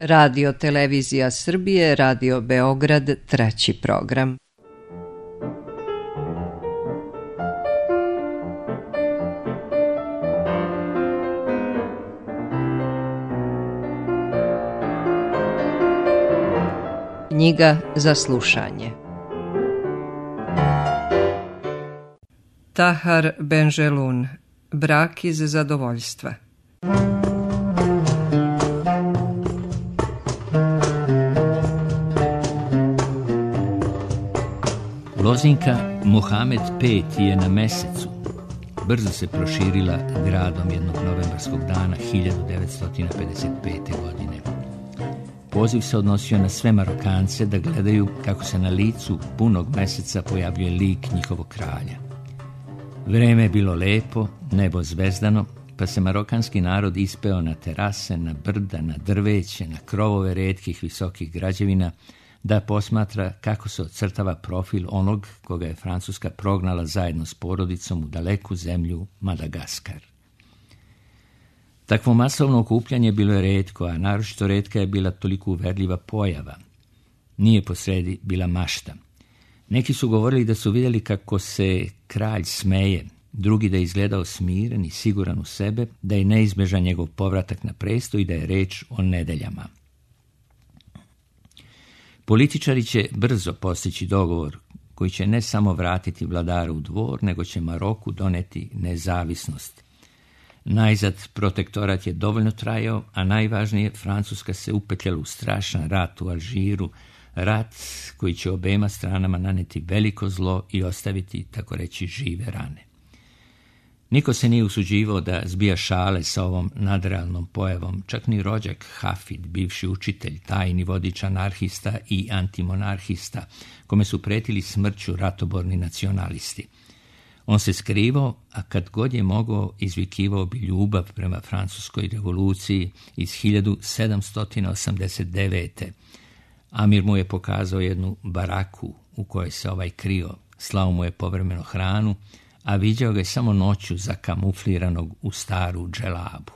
Radio Televizija Srbije, Radio Beograd, treći program. Knjiga za slušanje. Tahar Benjelun, Brak iz zadovoljstva. Lozinka Muhamed V je na mesecu. Brzo se proširila gradom jednog novembarskog dana 1955. godine. Poziv se odnosio na sve Marokance da gledaju kako se na licu punog meseca pojavljuje lik njihovog kralja. Vreme je bilo lepo, nebo zvezdano, pa se marokanski narod ispeo na terase, na brda, na drveće, na krovove retkih visokih građevina, da posmatra kako se ocrtava profil onog koga je Francuska prognala zajedno s porodicom u daleku zemlju Madagaskar. Takvo masovno okupljanje bilo je retko, a naročito retka je bila toliko uverljiva pojava. Nije posredi bila mašta. Neki su govorili da su vidjeli kako se kralj smeje, drugi da je izgledao smiren i siguran u sebe, da je neizbježan njegov povratak na presto i da je reč o nedeljama. Političari će brzo postići dogovor koji će ne samo vratiti vladara u dvor, nego će Maroku doneti nezavisnost. Najzad protektorat je dovoljno trajao, a najvažnije, Francuska se upetljala u strašan rat u Alžiru, rat koji će obema stranama naneti veliko zlo i ostaviti, tako reći, žive rane. Niko se nije usuđivao da zbija šale sa ovom nadrealnom pojavom, čak ni rođak Hafid, bivši učitelj, tajni vodič anarhista i antimonarhista, kome su pretili smrću ratoborni nacionalisti. On se skrivao, a kad god je mogao, izvikivao bi ljubav prema francuskoj revoluciji iz 1789. Amir mu je pokazao jednu baraku u kojoj se ovaj krio, slao mu je povremeno hranu, a viđao ga je samo noću zakamufliranog u staru dželabu.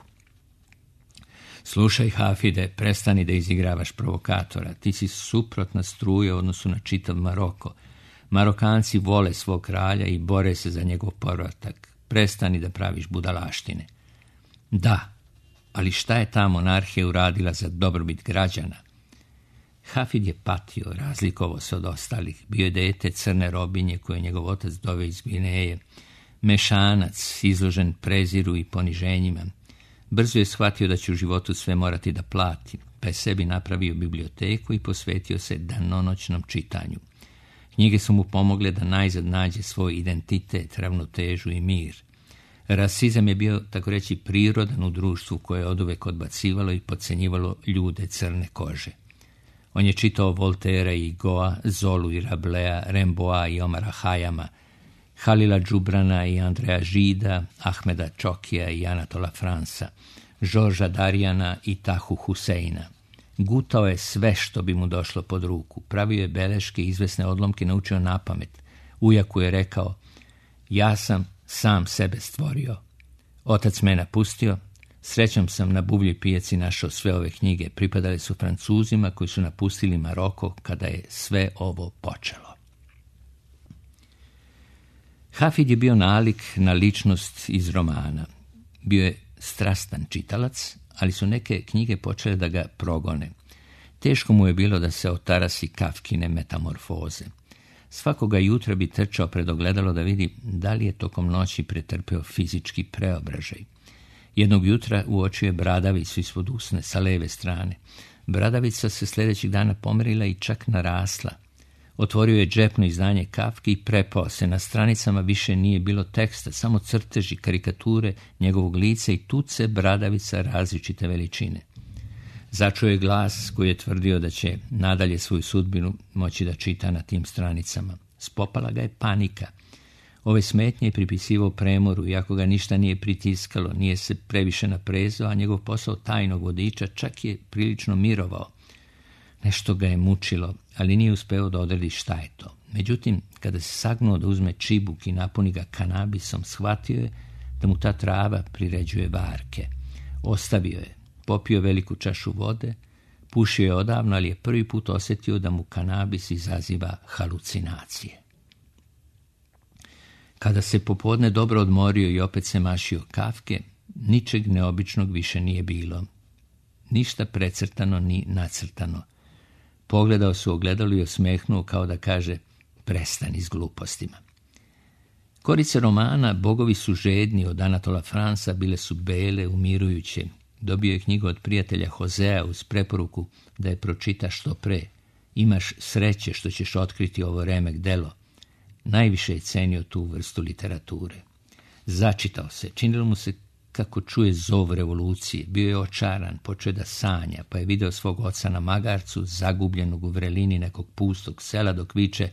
Slušaj, Hafide, prestani da izigravaš provokatora, ti si suprotna struja u odnosu na čitav Maroko. Marokanci vole svog kralja i bore se za njegov povratak. Prestani da praviš budalaštine. Da, ali šta je ta monarhija uradila za dobrobit građana? Hafid je patio, razlikovao se od ostalih. Bio je dete crne robinje koje je njegov otac doveo iz Gvineje. Mešanac, izložen preziru i poniženjima. Brzo je shvatio da će u životu sve morati da plati, pa je sebi napravio biblioteku i posvetio se danonoćnom čitanju. Knjige su mu pomogle da najzad nađe svoj identitet, ravnotežu i mir. Rasizam je bio, tako reći, prirodan u društvu koje je oduvek odbacivalo i podcenjivalo ljude crne kože. On je čitao Voltera i Goa, Zolu i Rablea, Remboa i Omara Hayama, Halila Džubrana i Andreja Žida, Ahmeda Čokija i Anatola Fransa, Žorža Darijana i Tahu Huseina. Gutao je sve što bi mu došlo pod ruku, pravio je beleške i izvesne odlomke naučio napamet. Ujaku je rekao, ja sam sam sebe stvorio. Otac me napustio, srećom sam na buvljoj pijaci našao sve ove knjige, pripadale su Francuzima koji su napustili Maroko kada je sve ovo počelo. Hafid je bio nalik na ličnost iz romana. Bio je strastan čitalac, ali su neke knjige počele da ga progone. Teško mu je bilo da se otarasi Kafkine metamorfoze. Svakoga jutra bi trčao pred ogledalo da vidi da li je tokom noći pretrpeo fizički preobražaj. Jednog jutra uočio je bradavicu ispod usne sa leve strane. Bradavica se sljedećeg dana pomerila i čak narasla. Otvorio je džepno izdanje Kafke i prepao se. Na stranicama više nije bilo teksta, samo crteži, karikature njegovog lica i tuce bradavica različite veličine. Začuo je glas koji je tvrdio da će nadalje svoju sudbinu moći da čita na tim stranicama. Spopala ga je panika. Ove smetnje je pripisivao premoru, iako ga ništa nije pritiskalo, nije se previše naprezao, a njegov posao tajnog vodiča čak je prilično mirovao. Nešto ga je mučilo, ali nije uspeo da odredi šta je to. Međutim, kada se sagnuo da uzme čibuk i napuni ga kanabisom, shvatio je da mu ta trava priređuje varke. Ostavio je, popio veliku čašu vode, Pušio je odavno, ali je prvi put osjetio da mu kanabis izaziva halucinacije. Kada se popodne dobro odmorio i opet se mašio kafke, ničeg neobičnog više nije bilo. Ništa precrtano ni nacrtano. Pogledao se u ogledalo i osmehnuo kao da kaže: prestani s glupostima. Korice romana Bogovi su žedni od Anatola Fransa bile su bele, umirujuće. Dobio je knjigu od prijatelja Josea uz preporuku da je pročita što pre. Imaš sreće što ćeš otkriti ovo remek delo. Najviše je cenio tu vrstu literature. Začitao se, činilo mu se kako čuje zov revolucije. Bio je očaran, počeo da sanja, pa je video svog oca na magarcu, zagubljenog u vrelini nekog pustog sela, dok viče: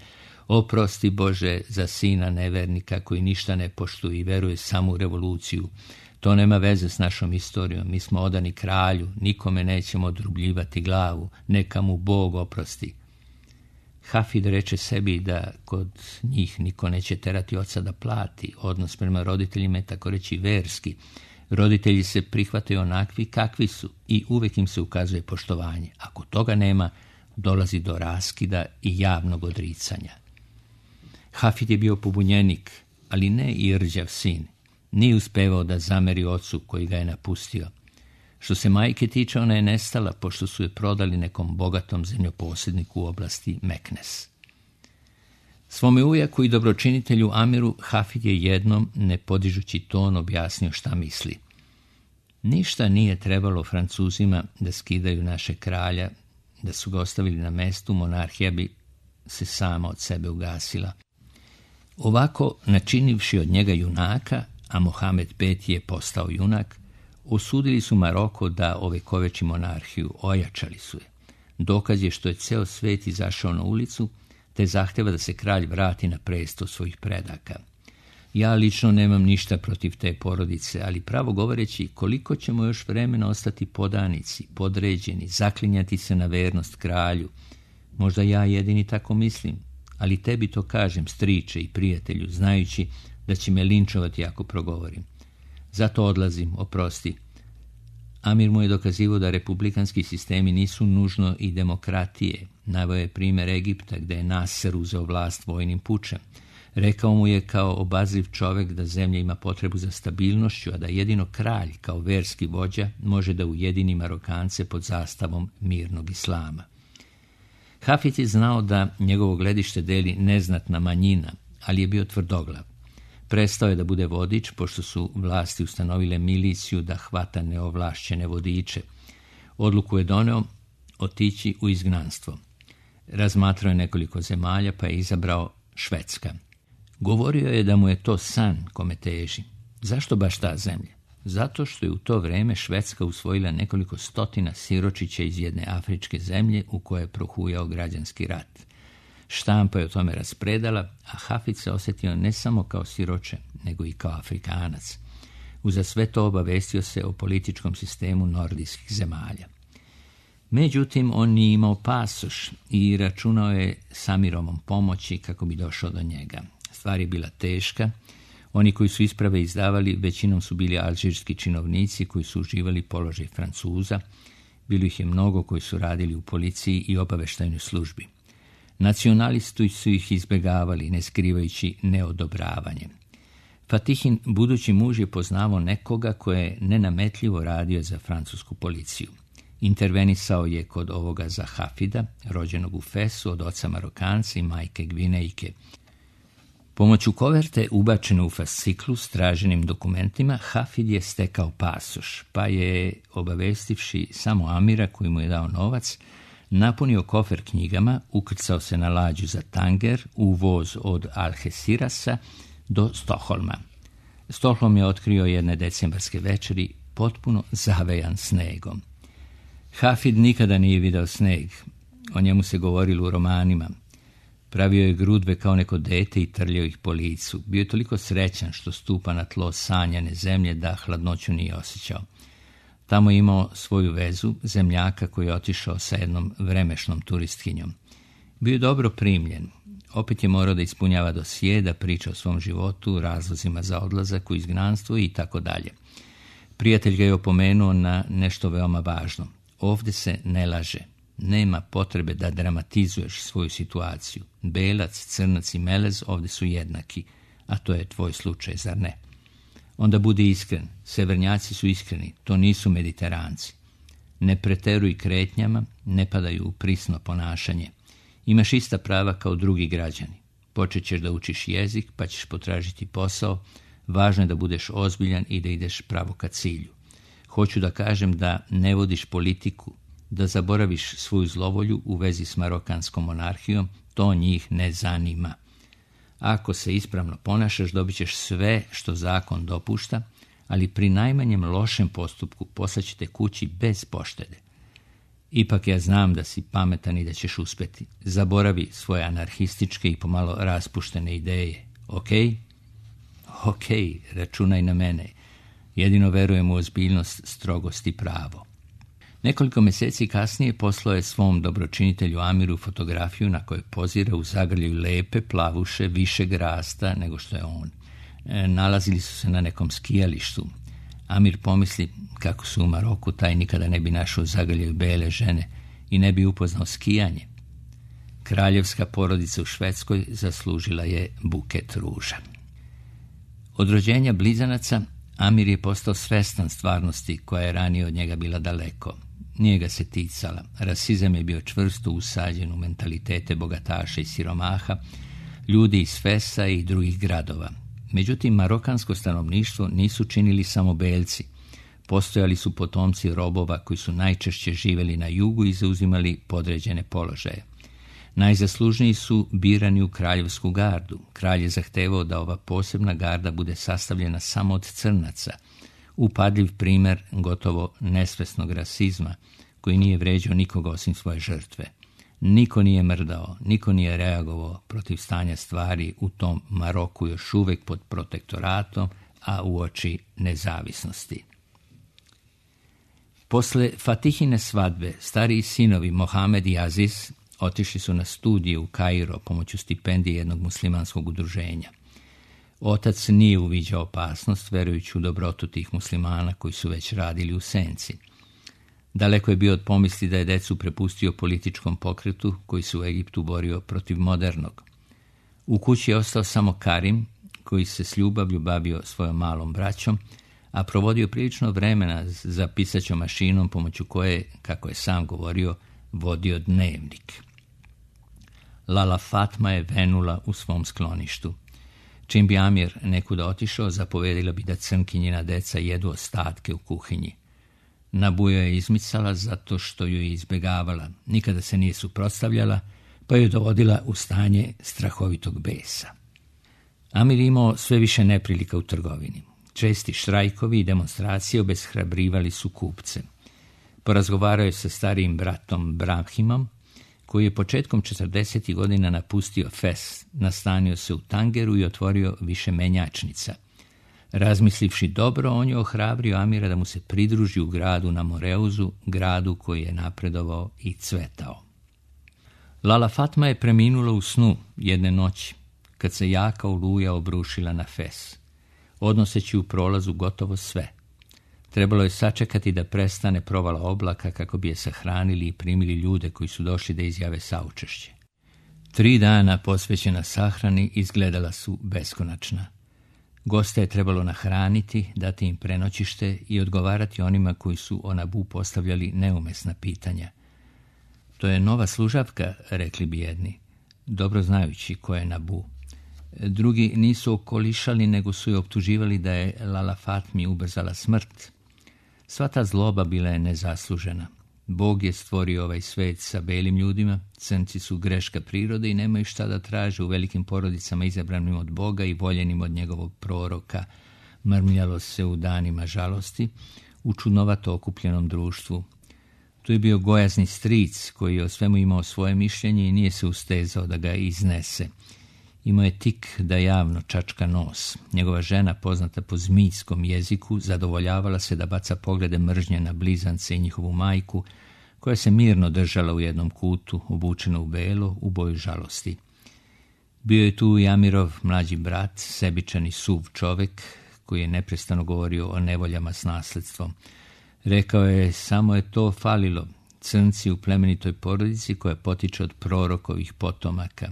oprosti Bože za sina nevernika koji ništa ne poštuje i veruje samo u revoluciju. To nema veze s našom istorijom, mi smo odani kralju, nikome nećemo odrubljivati glavu, neka mu Bog oprosti. Hafid reče sebi da kod njih niko neće terati oca da plati. Odnos prema roditeljima je tako reći verski. Roditelji se prihvataju onakvi kakvi su i uvijek im se ukazuje poštovanje. Ako toga nema, dolazi do raskida i javnog odricanja. Hafid je bio pobunjenik, ali ne i rđav sin. Nije uspevao da zameri ocu koji ga je napustio. Što se majke tiče, ona je nestala pošto su je prodali nekom bogatom zemljoposjedniku u oblasti Meknes. Svome ujaku i dobročinitelju Amiru Hafid je jednom, ne podižući ton, objasnio šta misli. Ništa nije trebalo Francuzima da skidaju naše kralja, da su ga ostavili na mestu, monarhija bi se sama od sebe ugasila. Ovako, načinivši od njega junaka, a Mohamed V je postao junak, osudili su Maroko da ovekoveči monarhiju, ojačali su je. Dokaz je što je ceo svet izašao na ulicu, te zahteva da se kralj vrati na presto svojih predaka. Ja lično nemam ništa protiv te porodice, ali pravo govoreći, koliko ćemo još vremena ostati podanici, podređeni, zaklinjati se na vernost kralju. Možda ja jedini tako mislim, ali tebi to kažem, striče i prijatelju, znajući da će me linčovati ako progovorim. Zato odlazim, oprosti. Amir mu je dokazivao da republikanski sistemi nisu nužno i demokratije. Naveo je primjer Egipta gde je Nasser uzeo vlast vojnim pučem. Rekao mu je kao obazriv čovjek da zemlja ima potrebu za stabilnošću, a da jedino kralj kao verski vođa može da ujedini Marokance pod zastavom mirnog islama. Hafid je znao da njegovo gledište deli neznatna manjina, ali je bio tvrdoglav. Prestao je da bude vodič, pošto su vlasti ustanovile miliciju da hvata neovlašćene vodiče. Odluku je doneo otići u izgnanstvo. Razmatrao je nekoliko zemalja, pa je izabrao Švedska. Govorio je da mu je to san kome teži. Zašto baš ta zemlja? Zato što je u to vreme Švedska usvojila nekoliko stotina siročića iz jedne afričke zemlje u kojoj je prohujao građanski rat. Štampa je o tome raspredala, a Hafid se osjetio ne samo kao siroče, nego i kao Afrikanac. Uza sve to obavestio se o političkom sistemu nordijskih zemalja. Međutim, on nije imao pasoš i računao je s Amirovom pomoći kako bi došao do njega. Stvar je bila teška. Oni koji su isprave izdavali većinom su bili alžirski činovnici koji su uživali položaj Francuza. Bilo ih je mnogo koji su radili u policiji i obaveštajnoj službi. Nacionalisti su ih izbjegavali, ne skrivajući neodobravanje. Fatihin budući muž je poznavao nekoga koje je nenametljivo radio za francusku policiju. Intervenisao je kod ovoga za Hafida, rođenog u Fesu od oca Marokanca i majke Gvinejke. Pomoću koverte ubačene u fasciklu s traženim dokumentima, Hafid je stekao pasoš, pa je, obavestivši samo Amira koji mu je dao novac, napunio kofer knjigama, ukrcao se na lađu za Tanger u voz od Algecirasa do Stokholma. Stokholm je otkrio jedne decembarske večeri potpuno zavejan snegom. Hafid nikada nije video sneg, o njemu se govorilo u romanima. Pravio je grudve kao neko dete i trljao ih po licu. Bio je toliko srećan što stupa na tlo sanjane zemlje da hladnoću nije osjećao. Tamo je imao svoju vezu, zemljaka koji je otišao sa jednom vremešnom turistkinjom. Bio je dobro primljen. Opet je morao da ispunjava dosije, da priča o svom životu, razlozima za odlazak u izgnanstvo i tako dalje. Prijatelj ga je opomenuo na nešto veoma važno. Ovdje se ne laže. nema potrebe da dramatizuješ svoju situaciju. Belac, crnac i melez ovdje su jednaki, a to je tvoj slučaj, zar ne? Onda budi iskren. Severnjaci su iskreni, to nisu Mediteranci. Ne preteruj kretnjama, ne padaju u prisno ponašanje. Imaš ista prava kao drugi građani. Počet ćeš da učiš jezik, pa ćeš potražiti posao. Važno je da budeš ozbiljan i da ideš pravo ka cilju. Hoću da kažem da ne vodiš politiku, da zaboraviš svoju zlovolju u vezi s marokanskom monarhijom, to njih ne zanima. Ako se ispravno ponašaš, dobit ćeš sve što zakon dopušta, ali pri najmanjem lošem postupku poslaćete kući bez poštede. Ipak ja znam da si pametan i da ćeš uspeti. Zaboravi svoje anarhističke i pomalo raspuštene ideje. Ok, računaj na mene. Jedino verujem u ozbiljnost, strogost i pravo. Nekoliko mjeseci kasnije poslao je svom dobročinitelju Amiru fotografiju na kojoj pozira u zagrljaju lepe plavuše višeg rasta nego što je on. Nalazili su se na nekom skijalištu. Amir pomisli kako su u Maroku, taj nikada ne bi našao zagrljaju bele žene i ne bi upoznao skijanje. Kraljevska porodica u Švedskoj zaslužila je buket ruža. Od rođenja blizanaca Amir je postao svestan stvarnosti koja je ranije od njega bila daleko. Nije ga se ticala. Rasizam je bio čvrsto usađen u mentalitete bogataša i siromaha, ljudi iz Fesa i drugih gradova. Međutim, marokansko stanovništvo nisu činili samo belci. Postojali su potomci robova koji su najčešće živjeli na jugu i zauzimali podređene položaje. Najzaslužniji su birani u kraljevsku gardu. Kralj je zahtevao da ova posebna garda bude sastavljena samo od crnaca. Upadljiv primjer gotovo nesvesnog rasizma koji nije vređao nikoga osim svoje žrtve. Niko nije mrdao, niko nije reagovao protiv stanja stvari u tom Maroku još uvijek pod protektoratom, a uoči nezavisnosti. Posle Fatihine svadbe, stariji sinovi Mohamed i Aziz otišli su na studije u Kairo pomoću stipendije jednog muslimanskog udruženja. Otac nije uviđao opasnost, verujući u dobrotu tih muslimana koji su već radili u senci. Daleko je bio od pomisli da je decu prepustio političkom pokretu koji se u Egiptu borio protiv modernog. U kući je ostao samo Karim, koji se s ljubavlju bavio svojom malom braćom, a provodio prilično vremena za pisaćom mašinom pomoću koje, kako je sam govorio, vodio dnevnik. Lala Fatma je venula u svom skloništu. Čim bi Amir nekuda otišao, zapovedila bi da crnkinjina deca jedu ostatke u kuhinji. Nabujo je izmicala zato što ju je izbjegavala, nikada se nije suprotstavljala, pa ju dovodila u stanje strahovitog besa. Amir imao sve više neprilika u trgovini. Česti štrajkovi i demonstracije obeshrabrivali su kupce. Porazgovarao je sa starijim bratom Brahimom, koji je početkom 40. godina napustio Fes, nastanio se u Tangeru i otvorio više menjačnica. Razmislivši dobro, on je ohrabrio Amira da mu se pridruži u gradu na Moreuzu, gradu koji je napredovao i cvetao. Lala Fatma je preminula u snu jedne noći, kad se jaka oluja obrušila na Fes, odnoseći u prolazu gotovo sve. Trebalo je sačekati da prestane provala oblaka kako bi je sahranili i primili ljude koji su došli da izjave saučešće. 3 dana posvećena sahrani izgledala su beskonačna. Goste je trebalo nahraniti, dati im prenoćište i odgovarati onima koji su o Nabu postavljali neumesna pitanja. To je nova služavka, rekli bi jedni, dobro znajući ko je Nabu. Drugi nisu okolišali, nego su je optuživali da je Lala Fatmi ubrzala smrt. Sva ta zloba bila je nezaslužena. Bog je stvorio ovaj svet sa belim ljudima, crnci su greška prirode i nemaju šta da traže u velikim porodicama izabranim od Boga i voljenim od njegovog proroka. Mrmljalo se u danima žalosti, u čudnovato okupljenom društvu. Tu je bio gojazni stric koji je o svemu imao svoje mišljenje i nije se ustezao da ga iznese. Imao je tik da javno čačka nos. Njegova žena, poznata po zmijskom jeziku, zadovoljavala se da baca poglede mržnje na blizance i njihovu majku, koja se mirno držala u jednom kutu, obučena u belo, u boju žalosti. Bio je tu i Amirov mlađi brat, sebičan i suv čovjek, koji je neprestano govorio o nevoljama s nasledstvom. Rekao je, samo je to falilo. Crnci u plemenitoj porodici koja potiče od prorokovih potomaka.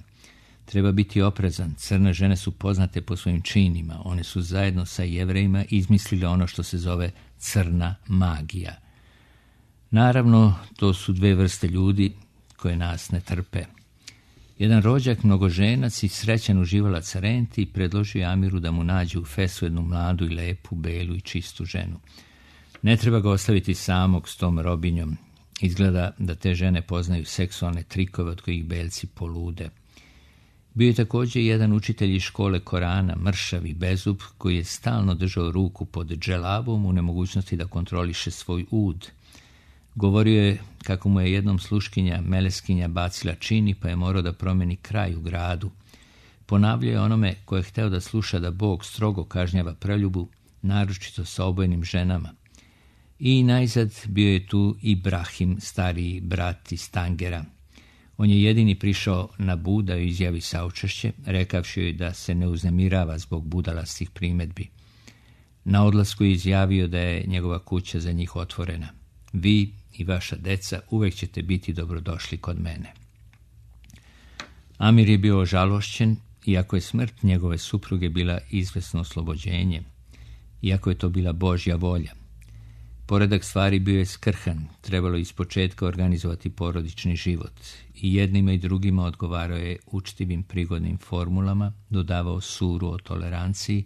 Treba biti oprezan. Crne žene su poznate po svojim činima. One su zajedno sa Jevrejima izmislile ono što se zove crna magija. Naravno, to su dve vrste ljudi koje nas ne trpe. Jedan rođak, mnogoženac i srećan uživalac renti, predložio Amiru da mu nađe u Fesu jednu mladu i lepu, belu i čistu ženu. Ne treba ga ostaviti samog s tom robinjom. Izgleda da te žene poznaju seksualne trikove od kojih belci polude. Bio je također jedan učitelj iz škole Korana, mršav i bezub, koji je stalno držao ruku pod dželabom u nemogućnosti da kontroliše svoj ud. Govorio je kako mu je jednom sluškinja meleskinja bacila čini, pa je morao da promeni kraj u gradu. Ponavljao je onome ko je hteo da sluša da Bog strogo kažnjava preljubu, naročito sa obojenim ženama. I najzad bio je tu Ibrahim, stariji brat iz Tangera. On je jedini prišao na Bud da joj izjavi saučešće, rekavši joj da se ne uznemirava zbog budalastih primedbi. Na odlasku je izjavio da je njegova kuća za njih otvorena. Vi i vaša deca uvek ćete biti dobrodošli kod mene. Amir je bio ožalošćen, iako je smrt njegove supruge bila izvesno oslobođenje, iako je to bila Božja volja. Poredak stvari bio je skrhan, trebalo je ispočetka organizovati porodični život. I jednima i drugima odgovarao je učtivim prigodnim formulama, dodavao suru o toleranciji,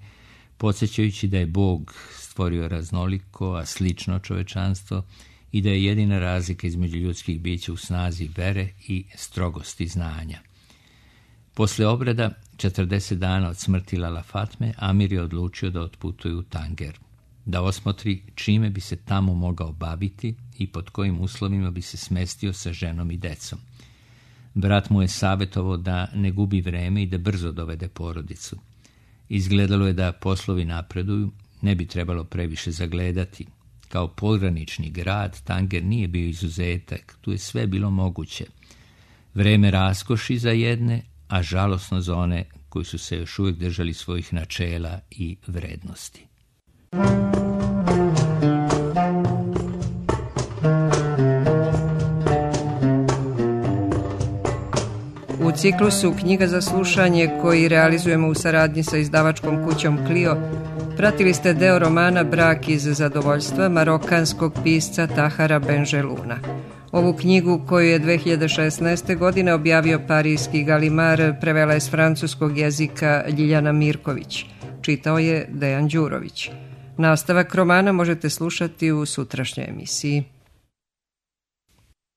podsjećajući da je Bog stvorio raznoliko, a slično čovečanstvo i da je jedina razlika između ljudskih bića u snazi vere i strogosti znanja. Posle obreda, 40 dana od smrti Lala Fatme, Amir je odlučio da otputuje u Tanger, da osmotri čime bi se tamo mogao baviti i pod kojim uslovima bi se smestio sa ženom i decom. Brat mu je savjetovao da ne gubi vreme i da brzo dovede porodicu. Izgledalo je da poslovi napreduju, ne bi trebalo previše zagledati. Kao pogranični grad, Tanger nije bio izuzetak, tu je sve bilo moguće. Vreme raskoši za jedne, a žalosno za one koji su se još uvijek držali svojih načela i vrednosti. U ciklusu Knjiga za slušanje, koji realizujemo u saradnji sa izdavačkom kućom Clio, pratili ste deo romana Brak iz zadovoljstva marokanskog pisca Tahara Benjeluna. Ovu knjigu, koju je 2016. godine objavio parijski Galimar, prevela je s francuskog jezika Ljiljana Mirković. Čitao je Dejan Đurović. Nastavak romana možete slušati u sutrašnjoj emisiji.